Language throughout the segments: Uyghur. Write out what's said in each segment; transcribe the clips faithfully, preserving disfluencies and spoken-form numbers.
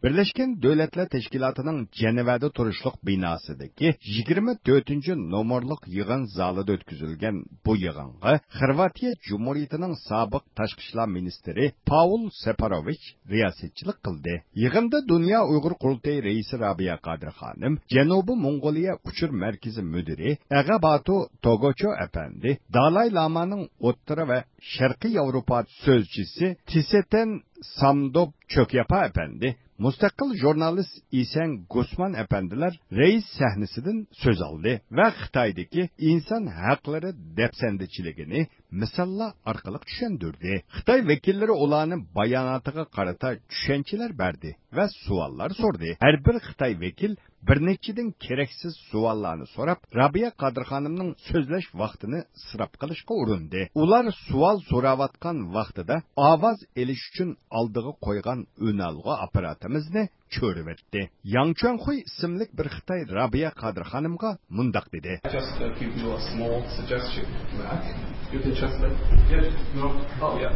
بىرلەشكەن دۆلەتلەر تەشكىلاتىنىڭ جەنۋەدە تۇرۇشلۇق بىناسىدىكى يىگىرمە تۆتىنچى نومۇرلۇق يىغىن زالىدا ئۆتكۈزۈلگەن بۇ يىغىنغا خورۋاتىيە جۇمھۇرىيىتىنىڭ سابىق تاشقى ئىشلار مىنىستىرى پاۋل سېپاروۋىچ رىياسەتچىلىك قىلدى. يىغىندا دۇنيا ئۇيغۇر قۇرۇلتىيى رەئىسى رابىيە قادىر خانىم، جەنۇبىي موڭغۇلىيە ئۇچۇر مەركىزى مۇدىرى ئەغەباتۇ توگوچو ئەپەندى، دالاي لامانىڭ ئوتتۇرا ۋە شەرقىي ياۋروپا سۆزچىسى تىسېتەن سامدوپ چۆكياپا ئەپەندى، مۇستەقىل ژۇرنالىست ئىسەن گۇسمان ئەپەندىلەر رەئىس سەھنىسىدىن سۆز ئالدى ۋە خىتايدىكى ئىنسان ھەقلىرى دەپسەندىچىلىكىنى مىساللار ئارقىلىق چۈشەندۈردى. خىتاي ۋەكىللىرى ئۇلارنىڭ باياناتىغا قارىتا چۈشەنچىلەر بەردى ۋە سوئاللار سورىدى. ھەر بىر خىتاي ۋەكىل بىر نەچچىدىن كېرەكسىز سوئاللارنى سوراپ، رابىيە قادىر خانىمنىڭ سۆزلەش ۋاقتىنى ئىسراپ قىلىشقا ئۇرۇندى. ئۇلار سوئال سوراۋاتقان ۋاقتىدا ئاۋاز ئېلىش ئۈچۈن ئالدىغا قويغان ئۈنئالغۇ ئاپپاراتىمىزنى چۆرۈۋەتتى. ياڭ چۈەنخۇي ئىسىملىك بىر خىتاي رابىيە قادىر خانىمغا مۇنداق دېدى. Just uh, give you a small suggestion, Matt. You can translate. Yes, no. Oh, yeah.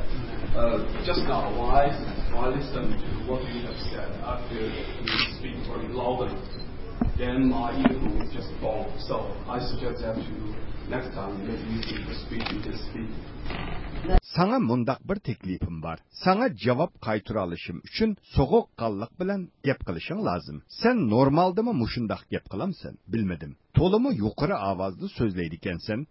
Uh, just now, when I, when I listen to what you have said, I feel you speak very loudly. Then my earphone is just gone. So I suggest that you next time, maybe you can speak, you can speak. ساڭا مۇنداق بىر تەكلىپىم بار. ساڭا جاۋاب قايتۇرالىشىم ئۈچۈن سوغۇققانلىق بىلەن گەپ قىلىشىڭ لازىم. سەن نورمالدىمۇ مۇشۇنداق گەپ قىلامسەن؟ بىلمىدىم. تولىمۇ يۇقىرى ئاۋازدا سۆزلەيدىكەنسەن.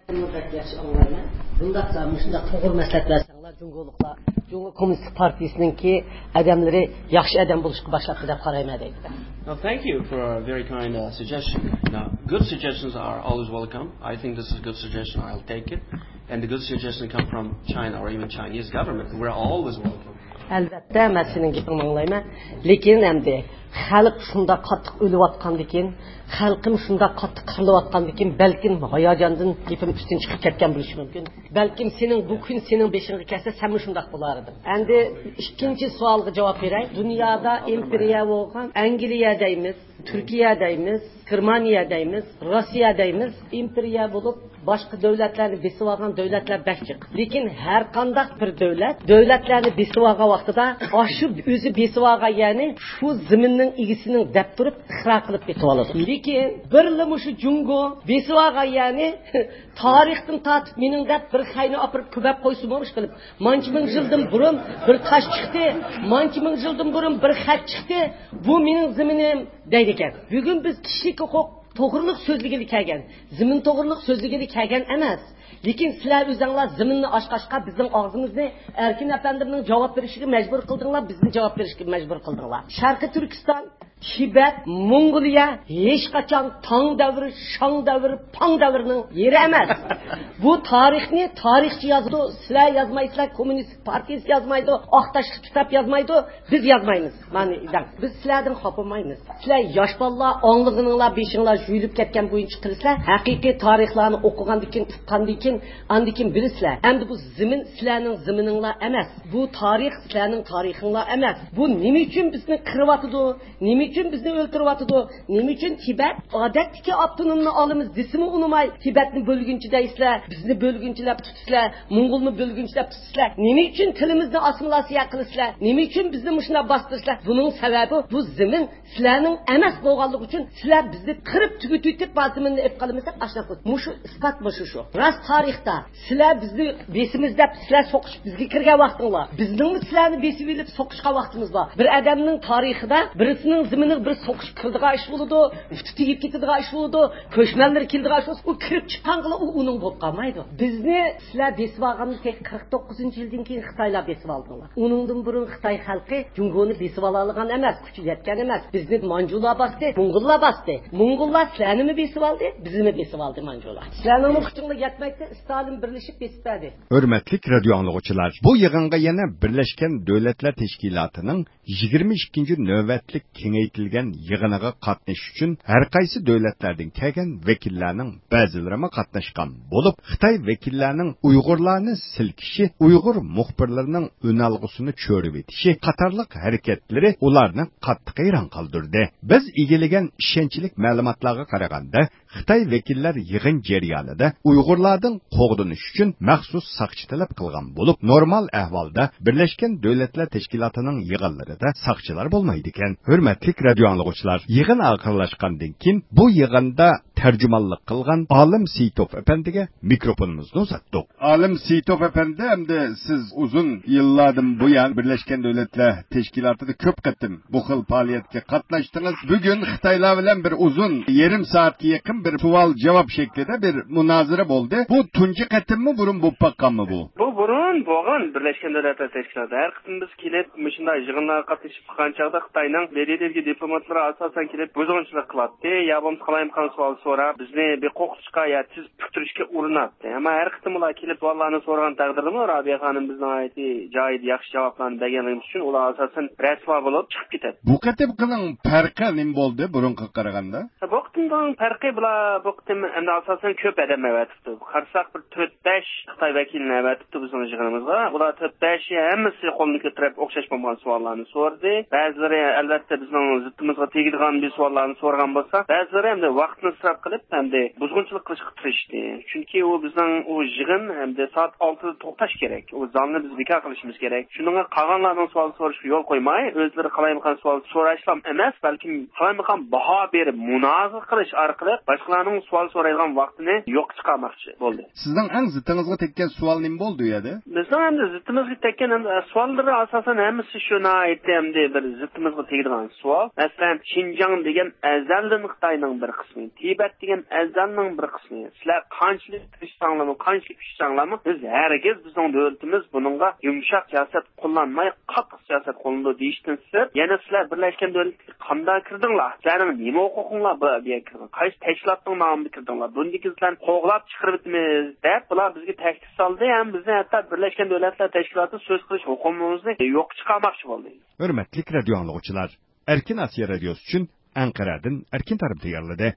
بەك ياخشى ئاڭلايمەن. بۇنداق، مۇشۇنداق توغرا مەسلىھەت بەرسەڭلار، جۇڭگولۇقلار، جۇڭگو كوممۇنىست پارتىيىسىنىڭكى ئادەملىرى ياخشى ئادەم بولۇشقا باشلاپتۇ دەپ قارايمەن دەيدۇ. Now, thank you for a very kind uh, suggestion. Now, good suggestions are always welcome. I think this is a good suggestion. I'll take it. And the good suggestions come from China or even Chinese government. We're always welcome. ئەلۋەتتە، مەن سېنىڭ گېپىڭنى ئاڭلايمەن. لېكىن ئەمدى خەلق شۇنداق قاتتىق ئۆلۈۋاتقاندىكىن، خەلقىم شۇنداق قاتتىق قىرىلىۋاتقاندىكىن، بەلكىم ھاياجاندىن گېپىم ئۈستۈن چىقىپ كەتكەن بولۇشى مۇمكىن. بەلكىم سېنىڭ بۇ كۈن سېنىڭ بېشىڭغا كەلسە، سەنمۇ شۇنداق بولار ئىدىڭ. ئەمدى ئىككىنچى سوئالغا جاۋاب بېرەي. دۇنيادا ئىمپېرىيە بولغان ئەنگلىيە دەيمىز، تۈركىيە دەيمىز، گېرمانىيە دەيمىز، روسىيە دەيمىز، ئىمپېرىيە بولۇپ، باشقا دۆلەتلەرنى بېسىۋالغان دۆلەتلەر بەك جىق. لېكىن ھەر قانداق بىر دۆلەت دۆلەتلەرنى بېسىۋالغان ۋاقتىدا، ئاشۇ ئۆزى بېسىۋالغان يەرنى شۇ زېمىننىڭ ئىگىسىنىڭ دەپ تۇرۇپ ئىقرار قىلىپ بېتىۋالىدۇ. لېكىن بىرلا مۇشۇ جۇڭگو بېسىۋالغان يەرنى تارىختىن تارتىپ مېنىڭ دەپ بىر خەينى ئاپىرىپ كۆمۈپ قويسىمۇ، ئىشقىلىپ، مانچە مىڭ يىلدىن بۇرۇن بىر تاش چىقتى، مانچە مىڭ يىلدىن بۇرۇن بىر خەت چىقتى، بۇ مېنىڭ زېمىنىم دەيدىكەن. بۈگۈن بىز كىشىلىك ھوقۇق توغرىلىق سۆزلىگىلى كەلگەن، زېمىن توغرىلىق سۆزلىگىلى كەلگەن ئەمەس. لېكىن سىلەر ئۆزۈڭلار زېمىننى ئاچقاچقا، بىزنىڭ ئاغزىمىزنى ئەركىن ئەپەندىمنىڭ جاۋاب بېرىشىگە مەجبۇر قىلدىڭلار، بىزنى جاۋاب بېرىشكە مەجبۇر قىلدىڭلار. شەرقىي تۈركىستان، تىبەت، موڭغۇلىيە ھېچقاچان تاڭ دەۋرى، شاڭ دەۋرى، پاڭ دەۋرىنىڭ يېرى ئەمەس. بۇ تارىخنى تارىخچى يازىدۇ، سىلەر يازمايسىلەر، كوممۇنىست پارتىيىسى يازمايدۇ، ئاق تاشلىق كىتاب يازمايدۇ، بىز يازمايمىز. مانا دەڭ. بىز سىلەردىن خاپىمايمىز. سىلەر ياش بالىلار، ئاڭلىغىنىڭلار بېشىڭلار يۇيۇلۇپ كەتكەن بويىچە قىلىسىلەر. ھەقىقىي تارىخلارنى ئوقۇغاندىن كېيىن، ئۇققاندىن كېيىن، ئاندىن كېيىن بىلىسىلەر. ئەمدى بۇ زېمىن سىلەرنىڭ زېمىنىڭلار ئەمەس. بۇ تارىخ سىلەرنىڭ تارىخىڭلار ئەمەس. بۇ نېمە ئۈچۈن بىزنى قىرىۋاتىدۇ؟ نېمە ئۈچۈن بىزنى ئۆلتۈرۈۋاتىدۇ؟ نېمە ئۈچۈن تىبەت ئادەتتىكى ئاپتونومنى ئالىمىز دېسىمۇ ئۇنىماي، تىبەتنى بۆلگۈنچى دەيسىلەر، بىزنى بۆلگۈنچىلەپ تۇتىسىلەر، موڭغۇلنى بۆلگۈنچىلەپ تۇتىسىلەر؟ نېمە ئۈچۈن تىلىمىزنى ئاسسىمىلياتسىيە قىلىسىلەر؟ نېمە ئۈچۈن بىزنى مۇشۇنداق باستۇرىسىلەر؟ بۇنىڭ سەۋەبى بۇ زېمىن سىلەرنىڭ ئەمەس بولغانلىقى ئۈچۈن سىلەر بىزنى قىرىپ تۈگىتىۋېتىپ، بار زېمىننى ئېلىپ قالىمىز دەپ ئاشۇنداق قىلىدۇ. مۇشۇ ئىسپات مۇشۇ شۇ. راست تارىختا سىلەر بىزنى بېسىمىز دەپ سىلەر سوقۇشۇپ بىزگە كىرگەن ۋاقتىڭلار، بىزنىڭمۇ سىلەرنى بېسىۋېلىپ سوقۇشقان ۋاقتىمىز بار. بىر ئادەمنىڭ تارىخىدا بىرسىنىڭ زېمىنىغا بىر سوقۇشۇپ كىرىدىغان ئىش بولىدۇ، پۇتى تېگىپ كېتىدىغان ئىش بولىدۇ، كۆچمەنلىرى كېلىدىغان ئىش بولسا، ئۇ كىرىپ چىققانغىلا ئۇ ئۇنىڭ بولۇپ قالمايدۇ. بىزنى سىلەر بېسىۋالغاندىن كېيىن، قىرىق توققۇزىنچى يىلدىن كېيىن خىتايلار بېسىۋالدىڭلار. ئۇنىڭدىن بۇرۇن خىتاي خەلقى جۇڭگونى بېسىۋالالىغان ئەمەس، كۈچى يەتكەن ئەمەس. بىزنى مانجۇلار باستى، موڭغۇللار باستى. موڭغۇللار سىلەرنىمۇ بېسىۋالدى، بىزنىمۇ بېسىۋالدى مانجۇلار. سىلەرنىڭمۇ كۈچۈڭلار يەتمەيتتى، ستالىن بىرلىشىپ بېسىپ بەردى. ھۆرمەتلىك رادىيو ئاڭلىغۇچىلار، بۇ يىغىنغا يەنە بىرلەشكەن دۆلەتلەر تەشكىلاتىنىڭ يىگىرمە ئىككىنچى نۆۋەتلىك كېڭەيتىش كېڭەيتىلگەن يىغىنىغا قاتنىشىش ئۈچۈن ھەر قايسى دۆلەتلەردىن كەلگەن ۋەكىللەرنىڭ بەزىلىرىمۇ قاتناشقان بولۇپ، خىتاي ۋەكىللەرنىڭ ئۇيغۇرلارنى سىلكىشى، ئۇيغۇر مۇخبىرلىرىنىڭ ئۈنئالغۇسىنى چۆرۈۋېتىشى قاتارلىق ھەرىكەتلىرى ئۇلارنى قاتتىق ھەيران قالدۇردى. بىز ئىگىلىگەن ئىشەنچلىك مەلۇماتلارغا قارىغاندا، خىتاي ۋەكىللەر يىغىن جەريانىدا ئۇيغۇرلاردىن قوغدىنىش ئۈچۈن مەخسۇس ساقچى تەلەپ قىلغان بولۇپ، نورمال ئەھۋالدا بىرلەشكەن دۆلەتلەر تەشكىلاتىنىڭ يىغىنلىرىدا ساقچىلار بولمايدىكەن. ھۆرمەتلىك رادىيو ئاڭلىغۇچىلار، يىغىن ئاخىرلاشقاندىن كېيىن بۇ يىغىندا تەرجىمانلىق قىلغان ئالىم سېيىتوف ئەپەندىگە مىكروفونىمىزنى ئۇزاتتۇق. ئالىم سېيىتوف ئەپەندى، ئەمدى سىز ئۇزۇن يىللاردىن بۇيان بىرلەشكەن دۆلەتلەر تەشكىلاتىدا كۆپ قېتىم بۇ خىل پائالىيەتكە قاتناشتىڭىز. بۈگۈن خىتايلار بىلەن بىر ئۇزۇن يېرىم سائەتكە يېقىن بىر سوئال-جاۋاب شەكلىدە بىر مۇنازىرە بولدى. بۇ تۇنجى قېتىممۇ، بۇرۇن بولۇپ باققانمۇ بۇ؟ بۇ بۇرۇن بولغان بىرلەشكەن دۆلەتلەر تەشكىلاتى. ھەر قېتىم بىز كېلىپ، مۇشۇنداق يىغىنلارغا قاتنىشىپ قىلغان چاغدا خىتاينىڭ بىرىدىكى دىپلوماتلىرى ئاساسەن كېلىپ بۇزغۇنچىلىق قىلاتتى، يا بولمىسا قالايمىقان سوئال سوراپ، بىزنى بىر قورقۇتۇشقا يا تېز پۈكتۈرۈشكە ئۇرۇناتتى. ئەمما ھەر قېتىم ئۇلار كېلىپ سوئاللارنى سورىغان تەقدىردىمۇ، رابىيە خانىم بىزنىڭ ناھايىتى جايىدا ياخشى جاۋابلارنى بەرگەنلىكىمىز ئۈچۈن ئۇلار ئاساسەن رەسۋا بولۇپ چىقىپ كېتەتتى. بۇ قېتىمقىنىڭ پەرقى نېمە بولدى بۇرۇنقىغا قارىغاندا؟ بۇ قېتىمنىڭ پەرقى، بۇلار بۇ قېتىم ئەمدى ئاساسەن كۆپ ئادەم ئەۋەتىپتۇ. قارىساق، بىر تۆت-بەش خىتاي ۋەكىلىنى ئەۋەتىپتۇ بىزنىڭ يىغىنىمىزغا. ئۇلار تۆت-بەشى ھەممىسى قولىنى كۆتۈرۈپ ئوخشاش بولمىغان سوئاللارنى سورىدى. بەزىلىرى ئەلۋەتتە بىزنىڭ زىتىمىزغا تېگىدىغان بىر سوئاللارنى سورىغان بولسا، بەزىلىرى ئەمدى ۋاقىتنى ئىسراپ قىلىپ، ئەمدى بۇزغۇنچىلىق قىلىشقا تىرىشتى. چۈنكى ئۇ بىزنىڭ ئۇ يىغىن ئەمدى سائەت ئالتىدا توختاش كېرەك. ئۇ زالنى بىز بىكار قىلىشىمىز كېرەك. شۇنىڭغا قالغانلارنىڭ سوئال سورىشىغا يول قويماي، ئۆزلىرى قالايمىقان سوئال سوراشلا ئەمەس، بەلكىم قالايمىقان باھا بېرىپ، مۇنازىرە قىلىش ئارقىلىق باشقىلارنىڭ سوئال سورايدىغان ۋاقتىنى يوققا چىقارماقچى بولدى. سىزنىڭ ئەڭ زىتىڭىزغا تەگكەن سوئال نېمە بولدى ئۇ يەردە؟ بىزنىڭ ئەمدى زىتىمىزغا تەگكەن ئەمدى سوئاللىرى ئاساسەن ھەممىسى شۇ ناھايىتى ئەمدى بىر زىتىمىزغا تېگىدىغان سوئال. مەسىلەن، شىنجاڭ دېگەن ئەزەلدىن خىتاينىڭ بىر قىسمى، تىبەت دېگەن ئەزەلنىڭ بىر قىسمى. سىلەر قانچىلىك تىرىشساڭلارمۇ، قانچىلىك كۈچىسەڭلارمۇ، بىز ھەرگىز بىزنىڭ دۆلىتىمىز بۇنىڭغا يۇمشاق سىياسەت قوللانماي، قاتتىق سىياسەت قوللىنىدۇ دېيىشتىن سىرت، يەنە سىلەر بىرلەشكەن دۆلەتكە قانداق كىردىڭلار؟ سىلەرنىڭ نېمە ھوقۇقۇڭلار بار بۇ يەرگە كىرگەن؟ قايسى تەشكىلاتنىڭ نامىدا كىردىڭلار؟ بۇندىكى سىلەرنى قوغلاپ چىقىرىۋېتىمىز، دەپ بۇلار بىزگە تەھدىت سالدى ھەم بىزنى ھەتتا بىرلەشكەن دۆلەتلەر تەشكىلاتىدا سۆز قىلىش ھوقۇقىمىزنى يوققا چىقارماقچى بولدى. ھۆرمەتلىك رادىيو ئاڭلىغۇچىلار، ئەركىن ئاسىيا رادىيوسى ئۈچۈن ئەنقەرەدىن ئەركىن تارىم تەييارلىدى.